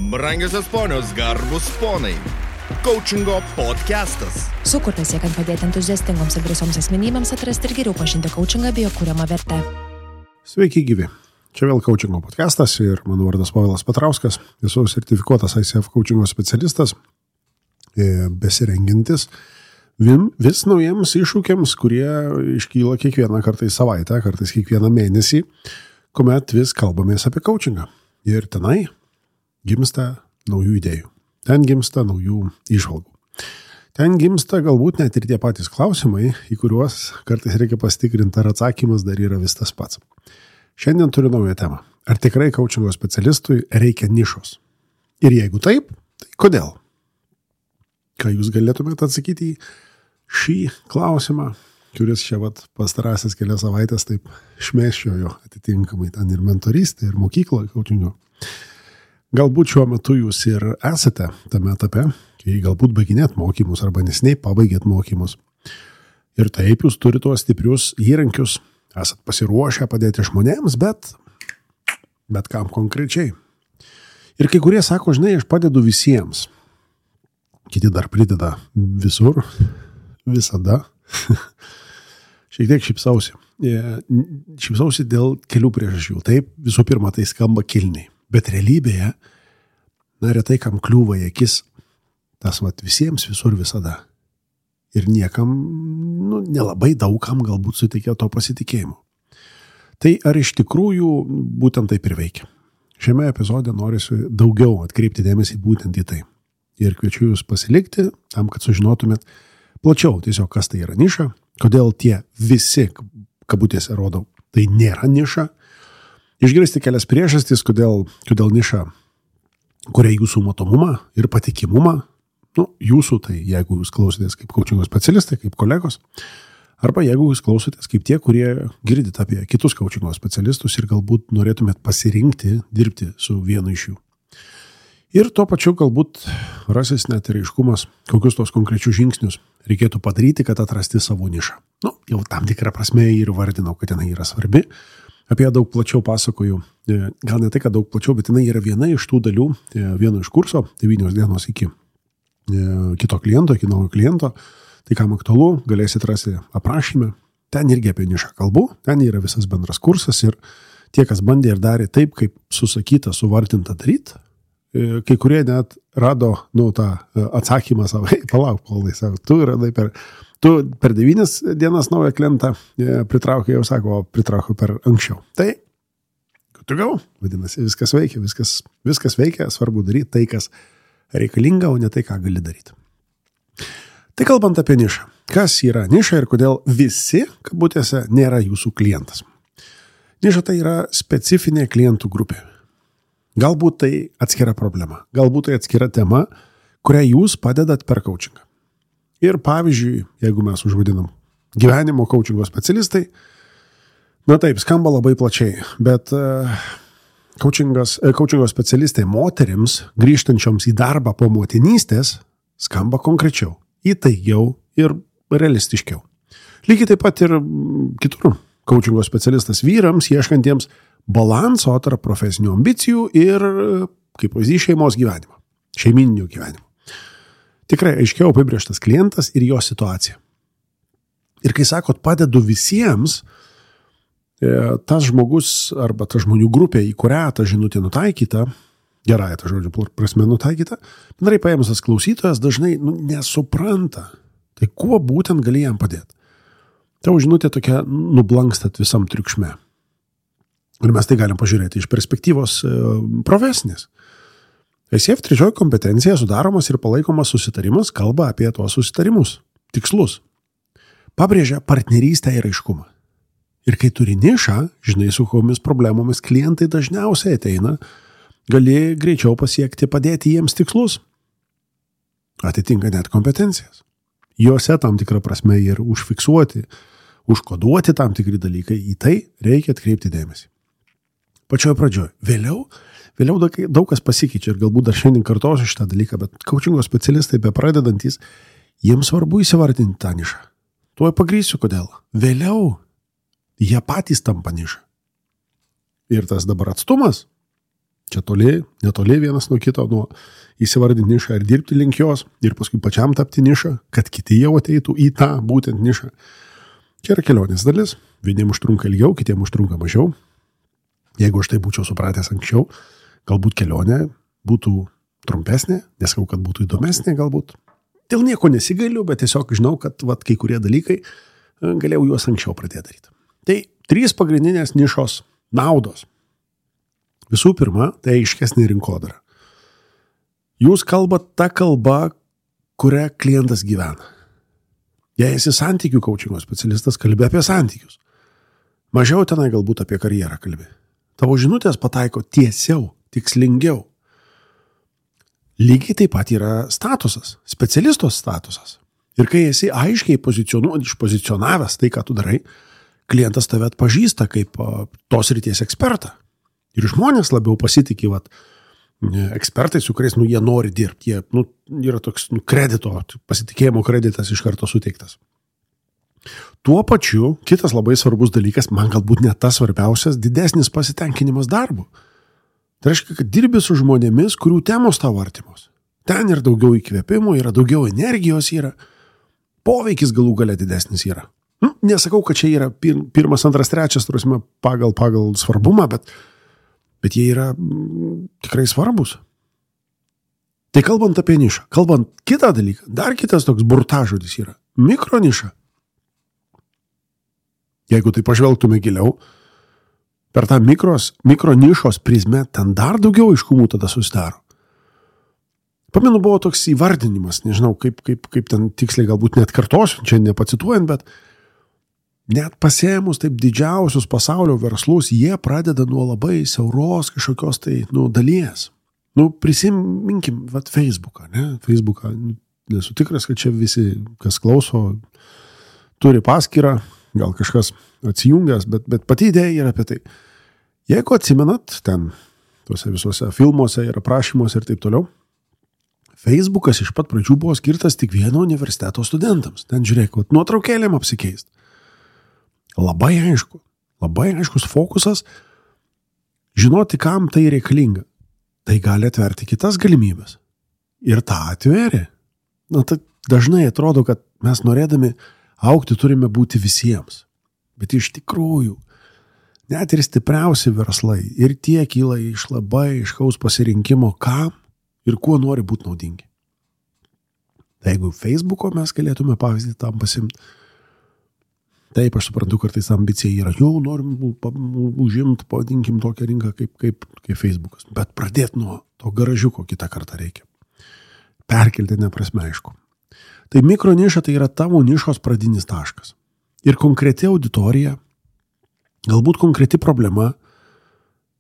Brangiosios ponios, garbus ponai. Coachingo podcastas. Sukurtas siekiant padėti entuziastingoms ir drąsioms asmenybėms atrasti ir geriau pažinti coachingą bei jo kuriamą vertę. Sveiki gyvi. Čia vėl coachingo podcastas ir mano vardas Povilas Petrauskas. Esu sertifikuotas ICF coachingo specialistas, besirengintis vis naujiems iššūkiams, kurie iškyla kiekvieną kartą į savaitę, kartais kiekvieną mėnesį, kuomet vis kalbamės apie coachingą. Ir tenai gimsta naujų idėjų. Ten gimsta naujų įžvalgų. Ten gimsta galbūt net ir tie patys klausimai, į kuriuos kartais reikia pasitikrinti, ar atsakymas dar yra vis tas pats. Šiandien turiu naują temą. Ar tikrai coachingo specialistui reikia nišos? Ir jeigu taip, tai kodėl? Ką jūs galėtumėte atsakyti į šį klausimą, kuris čia pastarąsias kelias savaitės taip šmėsčiojo atitinkamai ten ir mentorystė, ir mokykloje coachingo. Galbūt šiuo metu jūs ir esate tame etape, kai galbūt baiginėt mokymus arba nesiniai pabaigėt mokymus. Ir taip jūs turite tuos stiprius įrankius, esat pasiruošę padėti žmonėms, bet kam konkrečiai. Ir kai kurie sako, žinai, aš padedu visiems. Kiti dar prideda visur, visada. Šiek tiek šypsausi. Šypsausi dėl kelių priežasčių. Taip, visų pirma, tai skamba kilniai. Bet realybėje, retai kam kliūva į akis tas visiems visur visada. Ir niekam, nelabai daugam galbūt suteikia to pasitikėjimo. Tai ar iš tikrųjų būtent taip ir veikia? Šiame epizode norisi daugiau atkreipti dėmesį būtent į tai. Ir kviečiu jūs pasilikti tam, kad sužinotumėt plačiau tiesiog, kas tai yra niša, kodėl tie visi, kabutėse rodau, tai nėra niša. Išgirsti kelias priežastis, kodėl niša kuria jūsų matomumą ir patikimumą. Jūsų tai, jeigu jūs klausotės kaip coachingo specialistai, kaip kolegos, arba jeigu jūs klausotės kaip tie, kurie girdite apie kitus coachingo specialistus ir galbūt norėtumėt pasirinkti dirbti su vienu iš jų. Ir tuo pačiu galbūt rasis net ir aiškumas, kokius tos konkrečius žingsnius reikėtų padaryti, kad atrasti savo nišą. Jau tam tikrą prasme ir vardinau, kad jinai yra svarbi. Apie ją daug plačiau pasakoju, gal ne tai, kad daug plačiau, bet jinai yra viena iš tų dalių, vieno iš kurso, 9 dienos iki kito kliento, iki naujo kliento. Tai kam aktualu, galėsit rasti aprašyme. Ten irgi apie nišą kalbu, ten yra visas bendras kursas ir tie, kas bandė ir darė taip, kaip susakyta, suvardinta daryti, kai kurie net rado tą atsakymą savo, palauk, Paulai, tu radai Tu per 9 dienas naują klientą pritraukiai, jau sako, pritraukiau per anksčiau. Tai, good to go, vadinasi, viskas veikia, viskas veikia, svarbu daryti tai, kas reikalinga, o ne tai, ką gali daryti. Tai kalbant apie nišą. Kas yra niša ir kodėl visi, kabutėse, nėra jūsų klientas? Niša tai yra specifinė klientų grupė. Galbūt tai atskira problema, galbūt tai atskira tema, kurią jūs padedat per coachingą. Ir pavyzdžiui, jeigu mes užvadinam gyvenimo coachingo specialistai, taip, skamba labai plačiai, bet coachingo specialistai moterims, grįžtančioms į darbą po motinystės, skamba konkrečiau, įtaigiau ir realistiškiau. Lygiai taip pat ir kitur coachingo specialistas vyrams, ieškantiems balanso tarp profesinių ambicijų ir, kaip pavyzdys, šeimos gyvenimo, šeiminio gyvenimo. Tikrai aiškiau apibrėžtas klientas ir jo situacija. Ir kai sakot, padedu visiems, tas žmogus arba ta žmonių grupė, į kurią ta žinutė nutaikyta, gerąją tą žodžių prasme nutaikyta, bendrai paėmus tas klausytojas dažnai nesupranta, tai kuo būtent gali jam padėti. Tavo žinutė tokia nublankstat visam triukšme. Ir mes tai galim pažiūrėti iš perspektyvos profesinės. ICF 3 kompetencija sudaromas ir palaikomas susitarimas kalba apie tuos susitarimus, tikslus. Pabrėžia partnerystę ir aiškumą. Ir kai turi nišą, žinai, su kokiomis problemomis klientai dažniausiai ateina, gali greičiau pasiekti, padėti jiems tikslus. Atitinka net kompetencijas. Juose tam tikrą prasme ir užfiksuoti, užkoduoti tam tikri dalykai, į tai reikia atkreipti dėmesį. Pačioje pradžioje. Vėliau daug kas pasikeičia ir galbūt dar šiandien kartosiu šitą dalyką, bet coachingo specialistai bepradedantis, jiems svarbu įsivardinti tą nišą. Tuoj pagrįsiu, kodėl. Vėliau jie patys tampa nišą. Ir tas dabar atstumas Čia netoli vienas nuo kito, nuo įsivardinti nišą ir dirbti link jos, ir paskui pačiam tapti nišą, kad kiti jau ateitų į tą būtent nišą. Čia yra kelionės dalis, vieniem užtrunka ilgiau, kitiem užtrunka mažiau. Jeigu aš tai būčiau supratęs anksčiau, galbūt kelionė būtų trumpesnė, nesakau, kad būtų įdomesnė galbūt. Dėl nieko nesigailiu, bet tiesiog žinau, kad kai kurie dalykai galėjau juos anksčiau pradėti daryti. Tai 3 pagrindinės nišos naudos. Visų pirma, tai aiškesnė rinkodara. Jūs kalbat tą kalbą, kurią klientas gyvena. Jei esi santykių coachingo specialistas, kalbė apie santykius. Mažiau tenai galbūt apie karjerą kalbė. Tavo žinutės pataiko tiesiau, tikslingiau. Lygiai taip pat yra statusas, specialisto statusas. Ir kai esi aiškiai išpozicionavęs tai, ką tu darai, klientas tave atpažįsta kaip tos ryties ekspertą. Ir žmonės labiau pasitikė ekspertai, su kuriais jie nori dirbti. Jie yra toks kredito, pasitikėjimo kreditas iš karto suteiktas. Tuo pačiu, kitas labai svarbus dalykas, man galbūt net tas svarbiausias, didesnis pasitenkinimas darbu. Tai reiškia, kad dirbi su žmonėmis, kurių temos tau artimos. Ten yra daugiau įkvėpimo, yra daugiau energijos, yra poveikis galų gale didesnis yra. Nesakau, kad čia yra pirmas, antras, trečias, turėsime pagal svarbumą, bet jie yra tikrai svarbus. Tai kalbant apie nišą, kalbant kitą dalyką, dar kitas toks burtažodis yra mikroniša. Jeigu tai pažvelgtume giliau, per tą mikronišos prizmę ten dar daugiau aiškumų tada susidaro. Pamenu, buvo toks įvardinimas, nežinau, kaip ten tiksliai galbūt net kartosiu, čia nepacituojant, bet net pasėmus taip didžiausius pasaulio verslus, jie pradeda nuo labai siauros kažkokios tai dalies. Prisiminkim, Facebooką, ne? Facebooką, nesu tikras, kad čia visi, kas klauso, turi paskyrą, gal kažkas atsijungęs, bet pati idėja yra apie tai. Jeigu atsimenat, ten tuose visuose filmuose ir aprašymuose ir taip toliau, Facebookas iš pat pradžių buvo skirtas tik vieno universiteto studentams. Ten žiūrėk, nuotraukėlėm apsikeist. Labai aiškus fokusas, žinoti, kam tai reikalinga. Tai gali atverti kitas galimybės. Ir tą atverė. Tai dažnai atrodo, kad mes norėdami augti turime būti visiems. Bet iš tikrųjų, net ir stipriausi verslai ir tie kyla iš labai aiškaus pasirinkimo, kam ir kuo nori būti naudingi. Tai jeigu Facebooko mes galėtume pavyzdį tam pasimti, taip, aš suprantu, kartais ambicija yra, jau norim užimti, pavadinkim tokią rinką kaip Facebookas. Bet pradėti nuo to garažiuko kitą kartą reikia. Perkeltinė prasme, aišku. Tai mikroniša tai yra tavo nišos pradinis taškas. Ir konkreti auditorija, galbūt konkreti problema,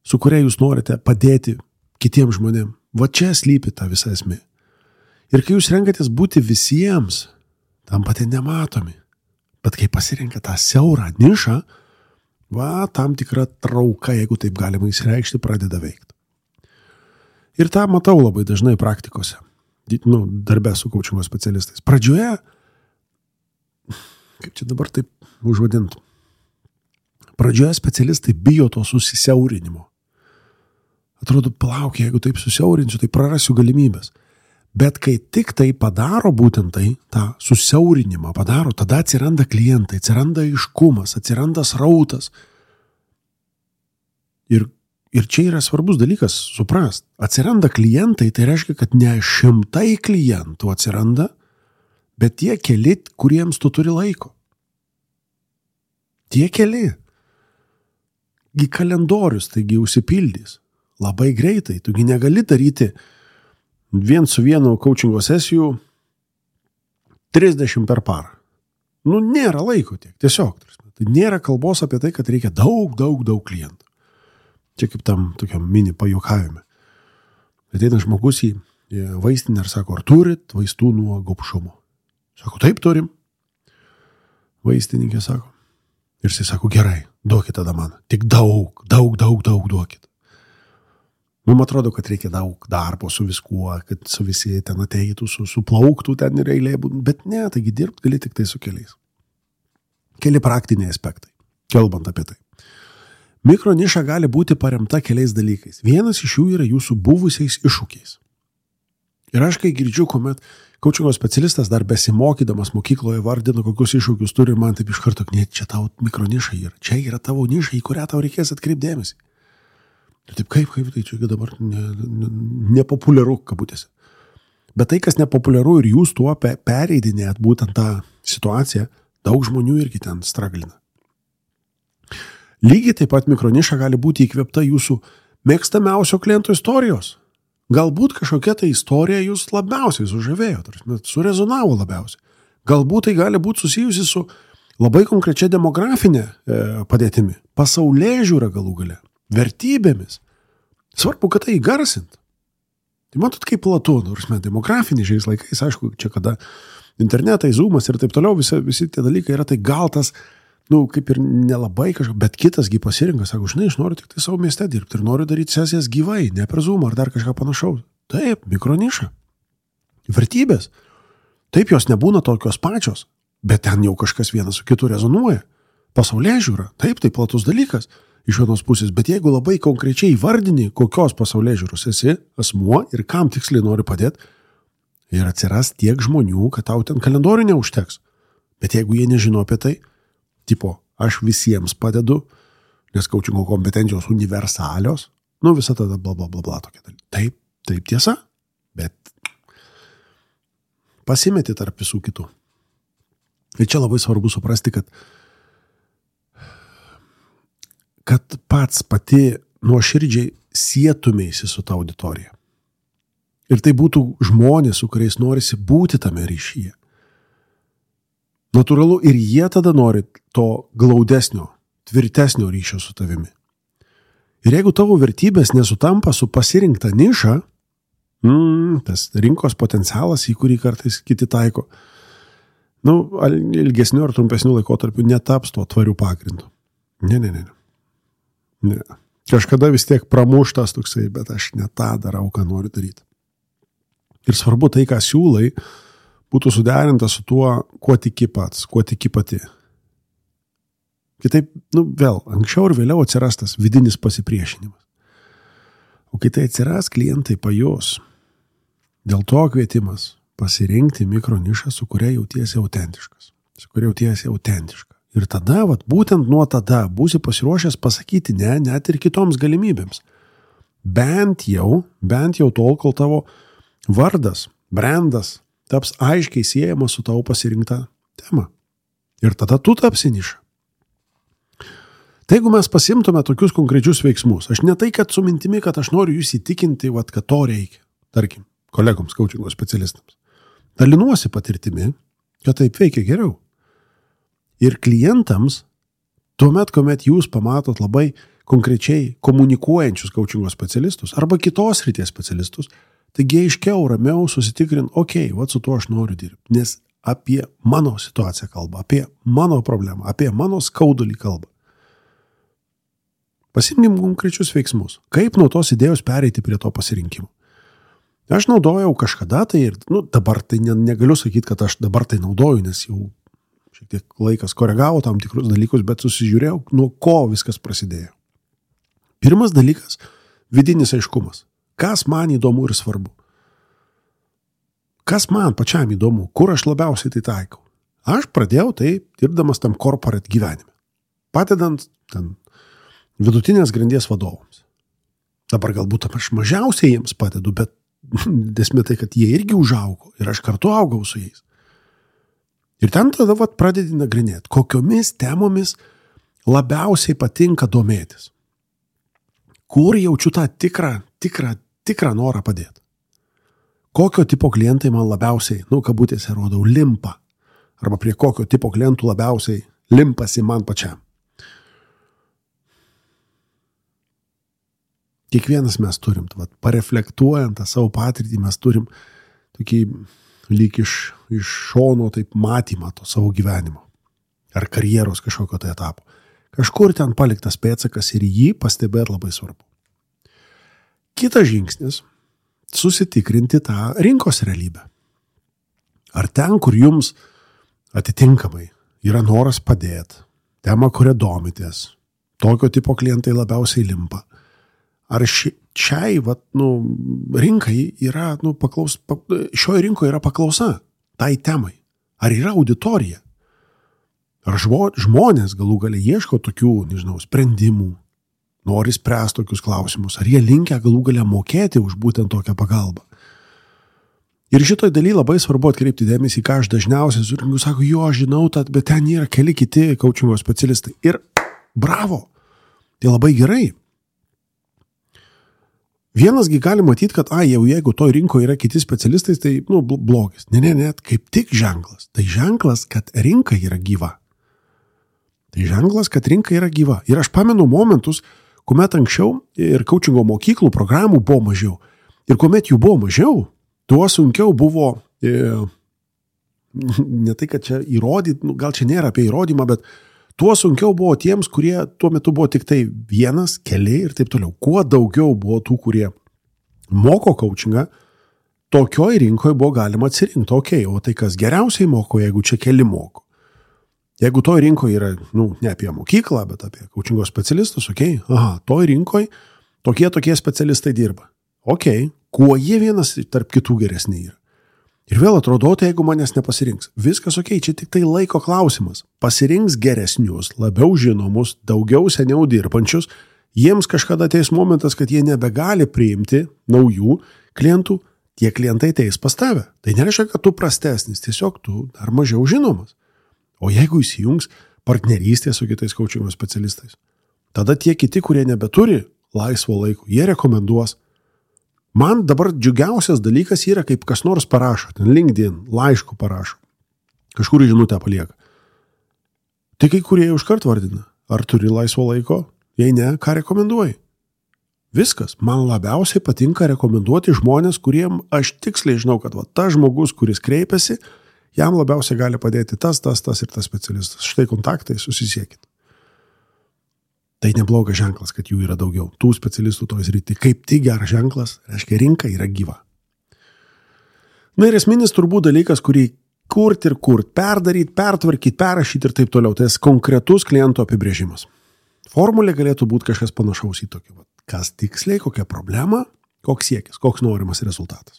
su kuria jūs norite padėti kitiems žmonėms. Čia slypi ta visa esmė. Ir kai jūs renkatės būti visiems, tampate nematomi. Bet kai pasirenka tą siaurą nišą, tam tikra trauka, jeigu taip galima įsireikšti, pradeda veikti. Ir tą matau labai dažnai praktikose, darbe su coachingo specialistais. Pradžioje, kaip čia dabar taip užvadintų, pradžioje specialistai bijo to susisiaurinimo. Atrodo, palauk, jeigu taip susiaurinsiu, tai prarasiu galimybės. Bet kai tik tai padaro būtent tai, tą susiaurinimą padaro, tada atsiranda klientai, atsiranda aiškumas, atsiranda srautas. Ir čia yra svarbus dalykas suprast. Atsiranda klientai, tai reiškia, kad ne 100 klientų atsiranda, bet tie keli, kuriems tu turi laiko. Tie keli. Gi kalendorius, taigi užsipildys. Labai greitai, tugi negali daryti vien su vienu coachingo sesijų 30 per parą. Nėra laiko tiek, tiesiog. Tai nėra kalbos apie tai, kad reikia daug klientų. Čia kaip tam tokiam mini pajuokavime. Ateina žmogus į vaistinę ir sako, ar turit vaistų nuo gobšumo? Sako, taip turim. Vaistininkė sako. Ir jis sako, gerai, duokit tada man. Tik daug duokit. Man atrodo, kad reikia daug darbo su viskuo, kad su visi ten ateitų, suplauktų ten ir eilė, bet ne, taigi dirbti gali tik tai su keliais. Keli praktiniai aspektai, kalbant apie tai. Mikroniša gali būti paremta keliais dalykais. Vienas iš jų yra jūsų buvusiais iššūkiais. Ir aš kai girdžiu, kuomet kaučingo specialistas dar besimokydamas mokykloje vardino, kokius iššūkius turi, man taip iš karto, ne, čia tau mikroniša yra. Čia yra tavo niša, į kurią tau reikės atkreipdėmėsi. Ir taip kaip, tai čia dabar nepopuliaru, kabutėse. Bet tai, kas nepopuliaru ir jūs tuo pereidinėjat būtent tą situaciją, daug žmonių irgi ten straglina. Lygiai taip pat mikroniša gali būti įkvėpta jūsų mėgstamiausio kliento istorijos. Galbūt kažkokia ta istorija jūs labiausiai sužavėjo, surezonavo labiausiai. Galbūt tai gali būti susijusi su labai konkrečia demografinė padėtimi, pasaulėžiūra galų gale, vertybėmis. Svarbu, kad tai įgarsint. Tai matot, kaip platu, demografiniai šiais laikais, aišku, čia kada internetai, zoomas ir taip toliau, visi tie dalykai yra, tai gal tas, kaip ir nelabai kažką, bet kitasgi pasirinka, sako, žinai, aš noriu tik tai savo mieste dirbti ir noriu daryti sesijas gyvai, ne per zoomą ar dar kažką panašaus. Taip, mikroniša. Vertybės. Taip, jos nebūna tokios pačios, bet ten jau kažkas vienas su kitu rezonuoja. Pasaulėžiūra. Taip, tai platus dalykas iš vienos pusės, bet jeigu labai konkrečiai vardini, kokios pasaulėžiūros esi asmuo ir kam tiksliai nori padėti, ir atsiras tiek žmonių, kad tau ten kalendorių neužteks. Bet jeigu jie nežino apie tai, tipo, aš visiems padedu, nes kaučingo kompetencijos universalios, visa tada bla bla bla bla tokia dalykai. Taip tiesa, bet pasimeti tarp visų kitų. Ir čia labai svarbu suprasti, kad pats pati nuoširdžiai sietumėsi su ta auditorija. Ir tai būtų žmonės, su kuriais norisi būti tame ryšyje. Natūralu, ir jie tada nori to glaudesnio, tvirtesnio ryšio su tavimi. Ir jeigu tavo vertybės nesutampa su pasirinkta niša, tas rinkos potencialas, į kurį kartais kiti taiko, ilgesnių ar trumpesnių laikotarpių netaps tuo tvariu pagrindu. Ne. Kažkada vis tiek pramuštas toksai, bet aš ne tą darau, ką noriu daryti. Ir svarbu tai, ką siūlai, būtų suderinta su tuo, kuo tiki pats, kuo tiki pati. Kitaip, vėl, anksčiau ir vėliau atsiras tas vidinis pasipriešinimas. O kai tai atsiras, klientai pajus. Dėl to kvietimas pasirinkti mikronišą, su kuria jautiesi autentiškas. Ir tada, būtent nuo tada būsi pasiruošęs pasakyti ne, net ir kitoms galimybėms. Bent jau tol, kol tavo vardas, brandas taps aiškiai siejamas su tavo pasirinkta tema. Ir tada tu tapsi niša. Tai jeigu mes pasimtume tokius konkrečius veiksmus, aš ne tai, kad su mintimi, kad aš noriu jūs įtikinti, kad to reikia, tarkim, kolegoms, kaučingo specialistams. Dalinuosi patirtimi, kad taip veikia geriau. Ir klientams, tuomet, kuomet jūs pamatot labai konkrečiai komunikuojančius kaučingo specialistus arba kitos srities specialistus, taigi aiškiau, ramiau susitikrint, su tuo aš noriu dirbti, nes apie mano situaciją kalba, apie mano problemą, apie mano skaudulį kalba. Pasimkim konkrečius veiksmus, kaip nuo tos idėjos pereiti prie to pasirinkimo. Aš naudojau kažkada tai ir, dabar tai negaliu sakyti, kad aš dabar tai naudoju, nes jau šiek tiek laikas koregavo tam tikrus dalykus, bet susižiūrėjau, nuo ko viskas prasidėjo. Pirmas dalykas – vidinis aiškumas. Kas man įdomu ir svarbu? Kas man pačiam įdomu? Kur aš labiausiai tai taikau? Aš pradėjau tai dirbdamas tam corporate gyvenime. Padedant ten vidutinės grandies vadovams. Dabar galbūt aš mažiausiai jiems padedu, bet esmė tai, kad jie irgi užaugo ir aš kartu augau su jais. Ir ten tada pradedi nagrinėti, kokiomis temomis labiausiai patinka domėtis. Kur jaučiu tą tikrą norą padėti. Kokio tipo klientai man labiausiai, kabutėse rodau, limpa. Arba prie kokio tipo klientų labiausiai limpasi man pačiam. Kiekvienas mes turim, pareflektuojant tą savo patirtį, mes turim tokį lyg iš šono taip matymą to savo gyvenimo. Ar karjeros kažkokio tai etapo. Kažkur ten paliktas pėdsakas ir jį pastebėti labai svarbu. Kitas žingsnis – susitikrinti tą rinkos realybę. Ar ten, kur jums atitinkamai yra noras padėti, tema, kurią domitės, tokio tipo klientai labiausiai limpa. Ar šiai rinkai yra, šioje rinkoje yra paklausa tai temai? Ar yra auditorija? Ar žmonės galų galia ieško tokių, sprendimų, nori spręsti tokius klausimus? Ar jie linkę galų galia mokėti už būtent tokią pagalbą? Ir šitoj daly labai svarbu atkreipti dėmesį, ką aš dažniausiai sutinku, sako, žinau, bet ten yra keli kiti coachingo specialistai. Ir bravo, tai labai gerai. Vienasgi gali matyti, kad jeigu toj rinkoje yra kiti specialistai, tai blogis. Ne, kaip tik ženklas. Tai ženklas, kad rinka yra gyva. Ir aš pamenu momentus, kuomet anksčiau ir coachingo mokyklų programų buvo mažiau. Ir kuomet jų buvo mažiau, tuo sunkiau buvo, ne tai, kad čia įrodyti, gal čia nėra apie įrodymą, bet tuo sunkiau buvo tiems, kurie tuo metu buvo tik tai vienas, keli ir taip toliau. Kuo daugiau buvo tų, kurie moko coachingą, tokioj rinkoje buvo galima atsirinkti, o tai kas geriausiai moko, jeigu čia keli moko. Jeigu toj rinkoje yra, ne apie mokyklą, bet apie coachingo specialistus, toj rinkoje tokie specialistai dirba. Kuo jie vienas tarp kitų geresni yra. Ir vėl atrodo, jeigu manęs nepasirinks. Viskas čia tik tai laiko klausimas. Pasirinks geresnius, labiau žinomus, daugiau seniau dirbančius. Jiems kažkada ateis momentas, kad jie nebegali priimti naujų klientų. Tie klientai ateis pas tave. Tai nereiškia, kad tu prastesnis, tiesiog tu dar mažiau žinomas. O jeigu įsijungs partnerystė su kitais coachingo specialistais, tada tie kiti, kurie nebeturi laisvo laiko, jie rekomenduos. Man dabar džiugiausias dalykas yra, kaip kas nors parašo, ten LinkedIn, laišku parašo, kažkur žinutę palieka. Tai kai kurie užkart vardina, ar turi laisvo laiko, jei ne, ką rekomenduoji. Viskas, man labiausiai patinka rekomenduoti žmonės, kuriem aš tiksliai žinau, kad tas žmogus, kuris kreipiasi, jam labiausiai gali padėti tas ir tas specialistas. Štai kontaktai, susisiekit. Tai neblogas ženklas, kad jų yra daugiau. Tų specialistų toj srity. Kaip tik geras ženklas, reiškia, rinka yra gyva. Ir esminis turbūt dalykas, kurį kurti, perdaryti, pertvarkyti, perrašyti ir taip toliau. Tai konkretus kliento apibrėžimas. Formulė galėtų būti kažkas panašaus į tokį. Kas tiksliai, kokia problema, koks siekis, koks norimas rezultatas.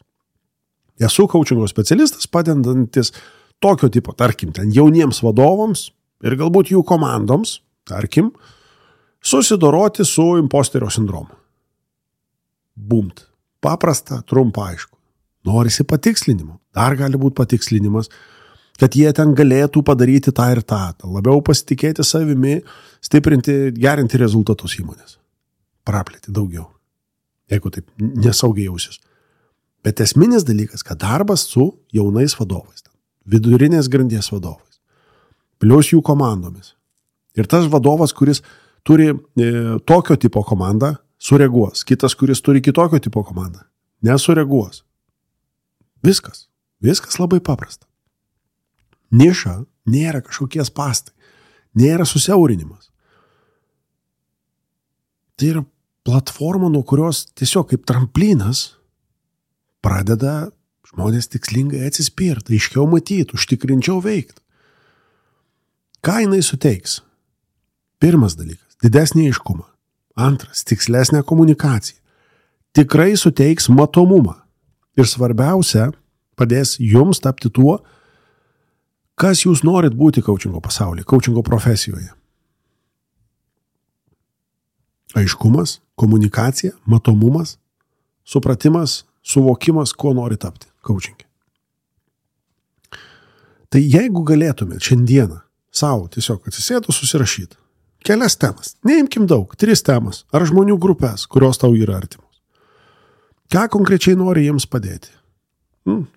Esu coachingo specialistas, padedantis tokio tipo, tarkim, ten jauniems vadovams ir galbūt jų komandoms, tarkim, susidoroti su imposterio sindromu. Bumt. Paprasta, trumpa, aišku. Norisi patikslinimo. Dar gali būti patikslinimas, kad jie ten galėtų padaryti tą ir tą. Labiau pasitikėti savimi, stiprinti, gerinti rezultatus įmonės. Praplėti daugiau. Jeigu taip nesaugiai jausis. Bet esminis dalykas, kad darbas su jaunais vadovais, vidurinės grandies vadovais, plius jų komandomis. Ir tas vadovas, kuris turi tokio tipo komandą, sureaguos. Kitas, kuris turi kitokio tipo komandą, nesureaguos. Viskas labai paprasta. Niša nėra kažkokie spastai, nėra susiaurinimas. Tai yra platforma, nuo kurios tiesiog kaip tramplinas pradeda žmonės tikslingai atsispirti, aiškiau matyti, užtikrinčiau veikti. Ką jinai suteiks? Pirmas dalykas – didesnį aiškumą. Antras – tikslesnę komunikaciją. Tikrai suteiks matomumą. Ir svarbiausia, padės jums tapti tuo, kas jūs norit būti coachingo pasaulyje, coachingo profesijoje. Aiškumas, komunikacija, matomumas, supratimas, suvokimas, ko nori tapti coachingė. Tai jeigu galėtumėt šiandieną savo tiesiog atsisėdus susirašyti kelias temas, neimkim daug, 3 temas, ar žmonių grupės, kurios tau yra artimos. Ką konkrečiai nori jiems padėti?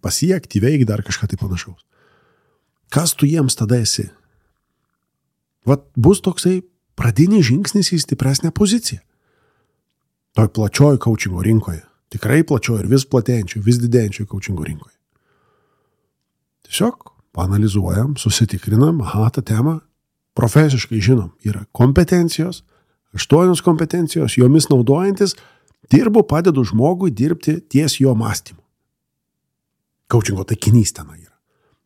Pasiekti, veikti, dar kažką tai panašaus. Kas tu jiems tada esi? Bus toksai pradinis žingsnis į stipresnę poziciją. Toj plačioj coachingo rinkoje. Tikrai plačioj ir vis platėjančioj, vis didėjančioj coachingo rinkoje. Tiesiog paanalizuojam, susitikrinam, tą temą profesiškai žinom. Yra kompetencijos, 8 kompetencijos, jomis naudojantis, dirbu, padedu žmogui dirbti ties jo mąstymu. Coachingo taikinys ten yra.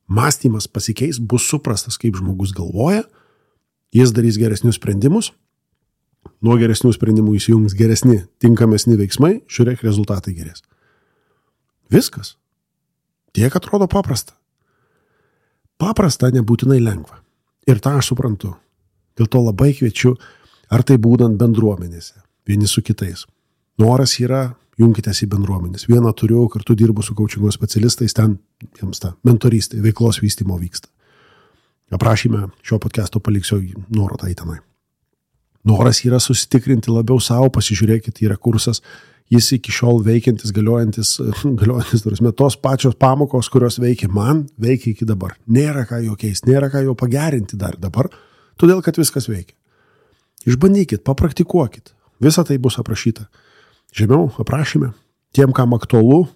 Mąstymas pasikeis, bus suprastas, kaip žmogus galvoja, jis darys geresnius sprendimus nuo geresnių sprendimų įsijungs geresni, tinkamesni veiksmai, žiūrėk, rezultatai gerės. Viskas. Tiek atrodo paprasta. Paprasta nebūtinai lengva. Ir tą aš suprantu. Dėl to labai kviečiu, ar tai būdant bendruomenėse, vieni su kitais. Noras yra, junkitės į bendruomenės. Vieną turiu, kartu dirbu su coachingo specialistais, ten jiems ta mentorystė, veiklos vystymo vyksta. Aprašyme šio podcast'o paliksiu nuorodą į tenai. Noras yra susitikrinti labiau savo, pasižiūrėkit, yra kursas, jis iki šiol veikiantis, galiojantis, tos pačios pamokos, kurios veikia man, veikia iki dabar. Nėra ką jo keisti, nėra ką jo pagerinti dar dabar, todėl kad viskas veikia. Išbandykit, papraktikuokit, visa tai bus aprašyta. Žemiau aprašyme, tiem, kam aktualu,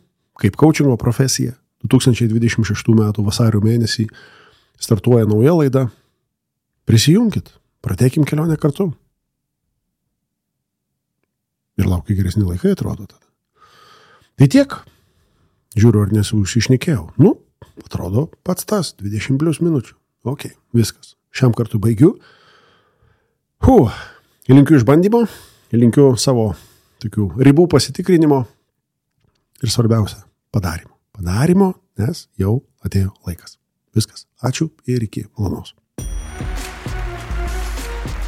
kaip coachingo profesija, 2026 metų vasario mėnesį startuoja nauja laida. Prisijunkit, pradėkim kelionę kartu. Ir laukia geresni laikai, atrodo tada. Tai tiek. Žiūriu, ar nesusišnekėjau. Atrodo pats tas, 20+ minučių. Ok, viskas. Šiam kartu baigiu. Linkiu išbandymo, linkiu savo tokių ribų pasitikrinimo ir svarbiausia, padarimo. Padarimo, nes jau atėjo laikas. Viskas. Ačiū ir iki malonaus.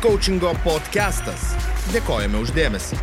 Coachingo podcastas. Dėkojame už dėmesį.